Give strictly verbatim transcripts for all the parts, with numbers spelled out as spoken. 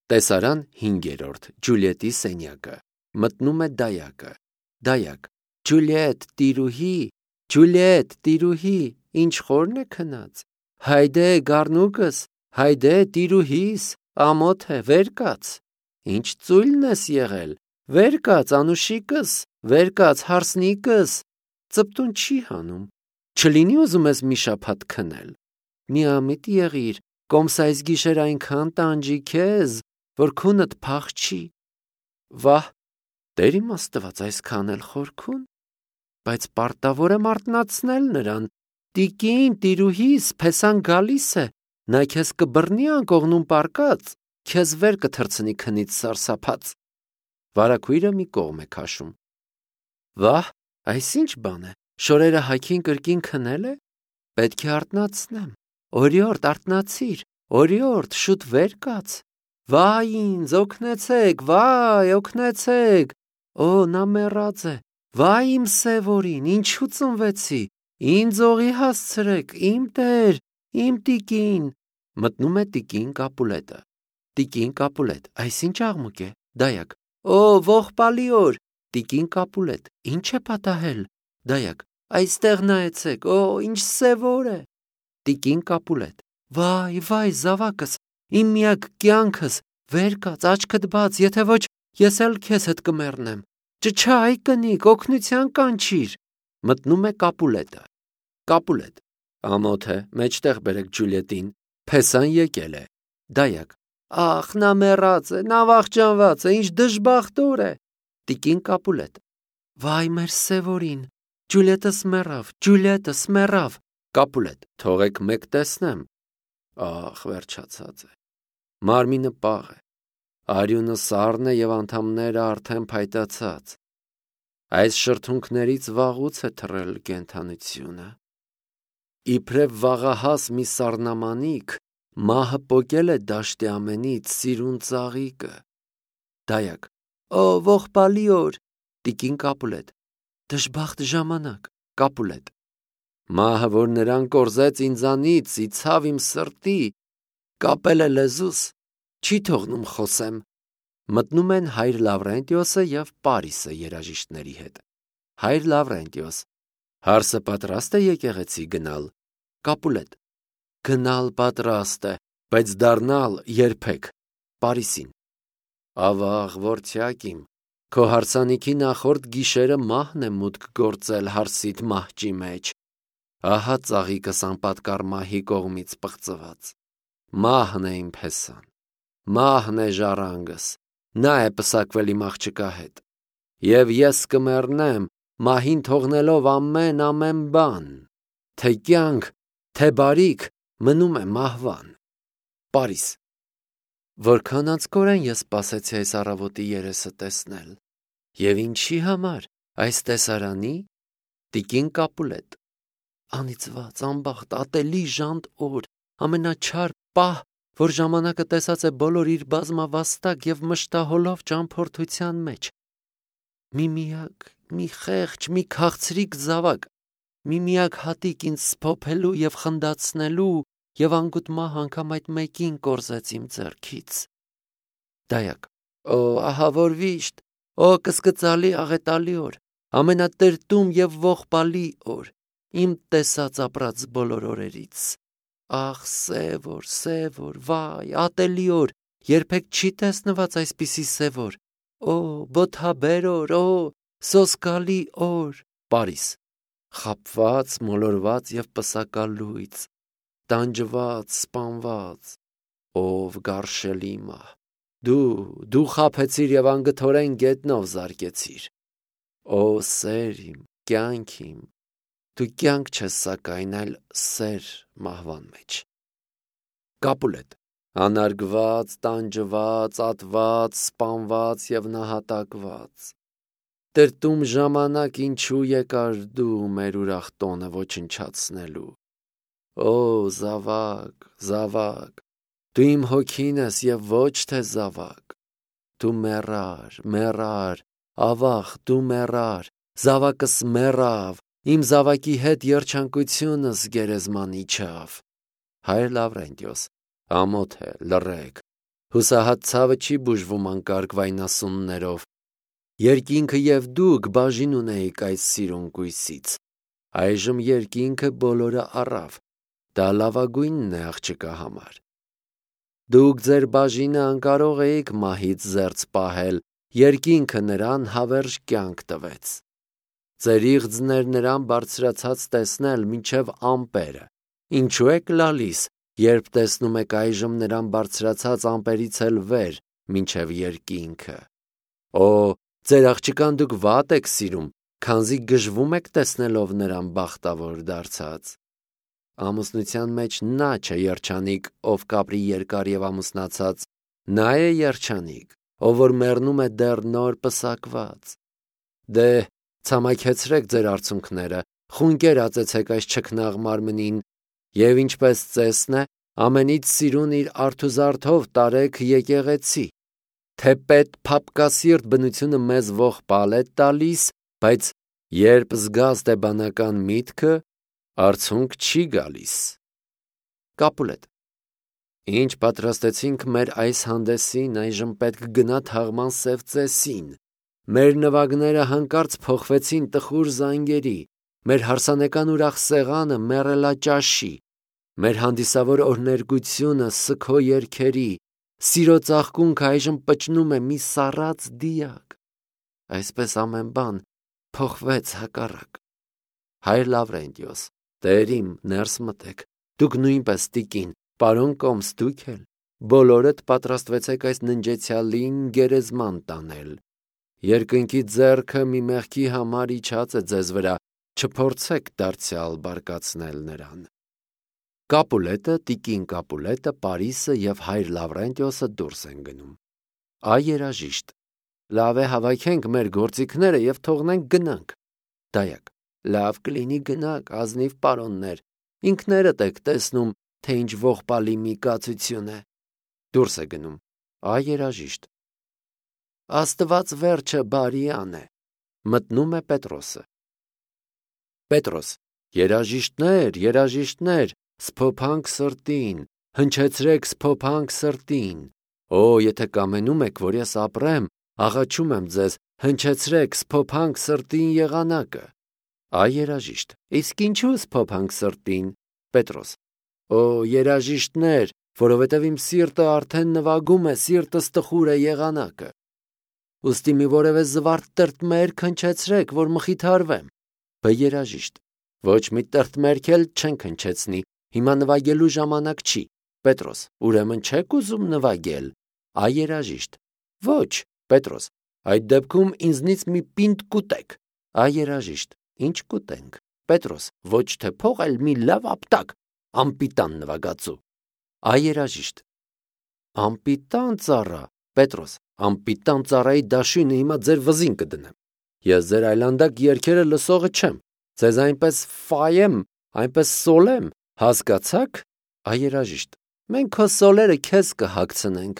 Տեսարան հինգերորդ Ջուլիետի սենյակը։ Մտնում է դայակը։ Դայակ. Ջուլիետ, տիրուհի, Ջուլիետ, տիրուհի, ինչ խորն է քնած։ Հայդե գառնուկս, հայդե տիրուհիս, ամոթ է, վեր կաց։ Ինչ ծույլն ես եղել, վեր կաց, անուշիկս, վեր կաց, հարսնիկս։ Ծպտուն չի հանում։ Չլինի ուզում ես մի շաբաթ քնել։ Միամիտ եղիր, կոմսայից գիշեր այնքան տանջի քեզ, որ քունդ փախչի։ Վահ, Տեր իմ Աստված, այսքան էլ խորքուն։ Բայց պարտավոր եմ արթնացնել նրան։ Տիկին, տիրուհիս, փեսան գալիս է, նա քեզ կբռնի անկողնում պարկած, քեզ վեր կթռցնի քնից սարսափած։ Վարագույրը մի կողմ է քաշում։ Վահ, այս ինչ բան է, շորերը հագին կրկին քնել է։ Պետք է արթնացնեմ։ Օրիորդ, արթնացիր, օրիորդ, շուտ վեր կաց։ Վայ ինձ, օգնեցեք, վայ, օգնեցեք։ Օ, նա մեռած է։ Վայ իմ սևորին, ինչու ծնվեցի։ Ինձ օղի հասցրեք, իմ Տեր, իմ տիկին։ Մտնում է տիկին Կապուլետը։ Տիկին Կապուլետ, այս ինչ աղմուկ է։ Դայակ. Օ, ողբալի օր։ Տիկին Կապուլետ, ինչ է պատահել։ Դայակ. Այստեղ նայեցեք, օ, ինչ սևոր է։ Տիկին Կապուլետ. Վայ, վայ, զավակս, իմ միակ կյանքս, վեր կաց, աչքդ բաց, եթե ոչ, ես էլ քեզ հետ կմեռնեմ։ Ճչա, այ կնիկ, օգնության կանչիր։ Մտնում է Կապուլետը։ Կապուլետ. Ամոթ է, մեջտեղ բերեք Ջուլիետին, փեսան եկել է։ Դայակ. Ախ, նա մեռած է, նա վախճանված է, ինչ դժբախտոր է։ Տիկին Կապուլետ. Վայ, մեր սևորին, Ջուլիետս մեռավ, Ջուլիետս մեռավ։ Կապուլետ. Թողեք մեկ տեսնեմ։ Ախ, վերջացած է։ Մարմինը պաղ է։ Արյունը սառն է եւ անդամները արդեն փայտացած։ Այս շրթունքներից վաղուց է թռել կենդանությունը։ Իբրև վաղահաս մի սառնամանիք, մահը պոկել է դաշտի ամենից սիրուն ծաղիկը։ Դայակ. Օ, ողբալի օր։ Տիկին Կապուլետ. Դժբախտ ժամանակ։ Կապուլետ. Մահը, որ նրան կորզեց ինձանից, իցավ իմ սրտի, կապել է լեզուս, չի թողնում խոսեմ։ Մտնում են հայր Լավրենտիոսը և Պարիսը երաժիշտների հետ։ Հայր Լավրենտիոս. Հարսը պատրաստ է եկեղեցի գնալ։ Կապուլետ. Գնալ պատրաստ է, բայց դառնալ երբեք։ Պարիսին. Ավաղ, որդյակիմ, քո հարսանիքի նախորդ գիշերը մահն է մուտք գործել հարսիդ մահճի մեջ։ Ահա ծաղիկս անպատկառ մահի կողմից պղծված։ Մահն է իմ փեսան, մահն է ժառանգս, նա է պսակվել իմ աղջկա հետ։ Եվ ես կմեռնեմ, մահին թողնելով ամեն ամեն բան, թե կյանք, թե բարիք, մնում է մահվան։ Պարիս. Որքան անձկորեն ես սպասեցի այս առավոտի երեսը տեսնել։ Եվ ինչի համար, այս տեսարանի։ Տիկին Կապուլետ. Անիծված, անբախտ, ատելի ժանտ օր, ամենաչար պահ, որ ժամանակը տեսած է բոլոր իր բազմավաստակ և մշտահոլով ճամփորդության մեջ։ Մի միակ, մի խեղճ, մի քաղցրիկ զավակ, մի միակ հատիկ ինձ սփոփելու և խնդացնելու, և անգութ մահ անգամ այդ մեկին կորզեց իմ ձեռքից։ Դայակ. Օ, ահա որ վիշտ, օ, կսկծալի աղետալի օր, ամենատրտում և ողբալի օր, իմ տեսած ապրած բոլոր օրերից։ Ախ, սև օր, սև օր, վայ, ատելի օր, երբեք չի տեսնված այսպիսի սև օր։ Օ, բոթաբեր օր, օ, սոսկալի օր։ Պարիս. Խաբված, մոլորված և պսակալույծ, տանջված, սպանված, ով գարշելի մահ, դու, դու խաբեցիր և անգթորեն գետնով զարկեցիր։ Օ, սեր իմ, կյանք իմ, դու կյանք չես սակայն, այլ սեր մահվան մեջ։ Կապուլետ. Անարգված, տանջված, ատված, սպանված և նահատակված։ Տրտում ժամանակ ինչու եկար դու մեր ուրախ տոնը ոչնչացնելու։ Օ, զավակ, զավակ, դու իմ հոգին ես և ոչ թե զավակ։ Դու մեռար, մեռար, ավաղ, դու մեռար, զավակս մեռավ, իմ զավակի հետ երջանկությունս գերեզման իջավ։ Հայր Լավրենտիոս. Ամոթ է, լռեք, Հուսահատ ցավը չի բուժվում անկարգ վայնասուններով։ Երկինքը եւ դուք բաժին ունեիք այս սիրուն կույսից։ Այժմ երկինքը բոլորը առավ։ Դա լավագույնն է աղջկա համար։ Դուք ձեր բաժինը անկարող էիք մահից զերծ պահել, երկինքը նրան հավերժ կյանք տվեց։ Ձեր իղձներ նրան բարձրացած տեսնել մինչև ամպերը։ Ինչու եք լալիս, երբ տեսնում եք այժմ նրան բարձրացած ամպերից էլ վեր, մինչև երկինքը։ Օ, ձեր աղջկան դուք վատ եք սիրում, քանզի գժվում եք տեսնելով նրան բախտավոր դարձած։ Ամուսնության մեջ նա չէ երջանիկ, ով կապրի երկար եւ ամուսնացած, նա է երջանիկ, ով որ մեռնում է դեռ նոր պսակված։ Դե, ցամաքեցրեք ձեր արցունքները, խունկեր ածեցեք այս չքնաղ մարմնին, եւ ինչպես ծեսն է, ամենից սիրուն իր արթուզարդով տարեք եկեղեցի։ Թեպետ փափկասիրտ բնությունը մեզ ողբալ է տալիս, բայց երբ զգաստ է բանական միտքը, արցունք չի գալիս։ Կապուլետ։ Ինչ պատրաստեցինք մեր այս հանդեսին, այժմ պետք գնա թաղման սև ծեսին։ Մեր նվագները հանկարծ փոխվեցին տխուր զանգերի, մեր հարսանեկան ուրախ սեղանը մեռելաճաշի, մեր հանդիսավոր օրներգությունը սգո երգերի, սիրո ծաղկունքը այժմ պճնում է մի սառած դիակ։ Այսպես ամեն բան փոխվեց հակառակ։ Հայր Լավրենտիոս, Տեր իմ, ներս մտեք, դուք նույնպես տիկին, պարոն Կոմս, դուք էլ, բոլորդ պատրաստվեցեք այս ննջեցյալին գերեզման տանել։ Երկնքի ձեռքը մի մեղքի համար իջած է ձեզ վրա, չփորձեք դարձյալ բարկացնել նրան։ Կապուլետը, տիկին Կապուլետը, Պարիսը եւ հայր Լավրենտիոսը դուրս են գնում։ Այ երաժիշտ, լավ է հավաքենք մեր գործիքները եւ թողնենք գնանք։ Դայակ, լավ կլինի գնանք, ազնիվ պարոններ, ինքներդ եք տեսնում, թե ինչ ողբալի մի կացություն է։ Դուրս է գնում։ Այ երաժիշտ։ Աստված վերջը բարիան է։ Մտնում է Պետրոսը։ Պետրոս, երաժիշտներ, երաժիշտներ, սփոփանք սրտին, հնչեցրեք սփոփանք սրտին։ Օ, եթե կամենում եք, որ ես ապրեմ, աղաչում եմ ձեզ, հնչեցրեք սփոփանք սրտին եղանակը։ Այ երաժիշտ, իսկ ինչու սփոփանք սրտին։ Պետրոս. Օ, երաժիշտներ, որովհետև իմ սիրտը արդեն նվագում է, սիրտս տխուր է եղանակը։ Ուստի մի որևէ զվարթ տրտմերք հնչեցրեք, որ մխիթարվեմ։ Բ երաժիշտ. Ոչ մի տրտմերք էլ չենք հնչեցնի, հիմա նվագելու ժամանակ չի։ Պետրոս. Ուրեմն չեք ուզում նվագել։ Այ երաժիշտ. Ոչ, Պետրոս, այդ դեպքում ինձնից մի պինդ կուտեք։ Այ երաժիշտ. Ինչ կուտենք։ Պետրոս. Ոչ թե փող, այլ մի լավ ապտակ, ամպիտան նվագածու։ Այ երաժիշտ. Ամպիտան ծառա։ Պետրոս. Ամպիտան ծառայի դաշույնը հիմա ձեր վզին կդնեմ։ Ես ձեր այլանդակ երգերը լսողը չեմ։ Ձեզ այնպես ֆայեմ, այնպես սոլեմ, հասկացաք։ Այ երաժիշտ. Մենք քո սոլերը քեզ կհագցնենք։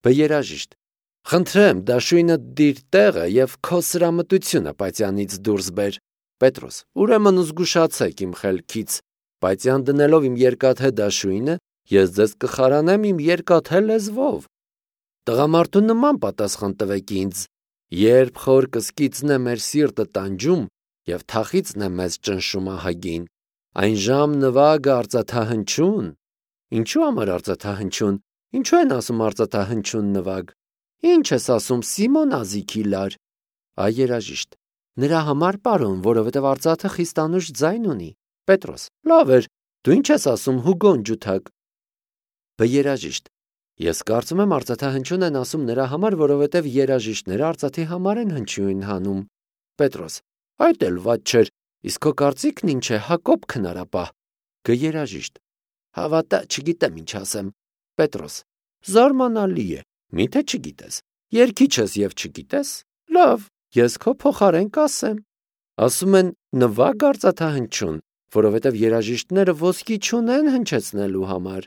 Բ երաժիշտ. Խնդրեմ, դաշույնը դիր տեղը եւ քո սրամտությունը պայծյանից դուրս բեր։ Պետրոս. Ուրեմն զգուշացեք իմ խելքից, պայծյան դնելով իմ երկաթե դաշույնը, ես ձեզ կխարանեմ իմ երկաթե լեզվով։ Տղամարդու նման պատասխան տվեք ինձ, երբ խոր կսկիծն է մեր սիրտը տանջում եւ թախիծն է մեզ ճնշում ահագին, այն ժամ նվագը արծաթահնչուն։ Ինչու համար արծաթահնչուն։ Ինչու են ասում արծաթահնչուն նվագ։ Ինչ ես ասում Սիմոն Ազիքի լար։ Այ երաժիշտ. Նրա համար, պարոն, որովհետև արծաթը խիստանուշ ձայն ունի։ Պետրոս. Լավ էր, դու ինչ ես ասում Հուգոն ջութակ։ Բ երաժիշտ. Ես կարծում եմ արծաթահնչուն են ասում նրա համար, որովհետև երաժիշտները արծաթի համար են հնչյուն հանում։ Պետրոս. Այդ էլ վատ չէր, իսկ քո կարծիքն ինչ է, Հակոբ քնարապահ։ Գ երաժիշտ. Հավատա, չգիտեմ ինչ ասեմ։ Պետրոս. Զարմանալի է, միթե չգիտես։ Երկիչ ես եւ չգիտես։ Լավ, ես քո փոխարեն կասեմ։ Ասում են նվագ արծաթահնչյուն, որովհետև երաժիշտները ոսկի չունեն հնչեցնելու համար։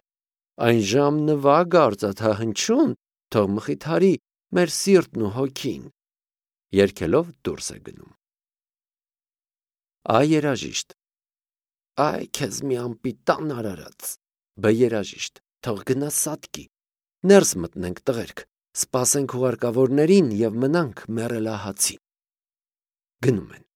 Այն ժամ նվագ արծաթահնչյուն, թող մխիթարի մեր սիրտն ու հոգին։ Երգելով դուրս է գնում։ Այ երաժիշտ. Այ քեզ մի ամպիտան արարած։ Բ երաժիշտ. Թող գնա սատկի։ Ներս մտնենք, տղերք, սպասենք հուղարկավորներին և մնանք մեռելահացին։ Գնում են։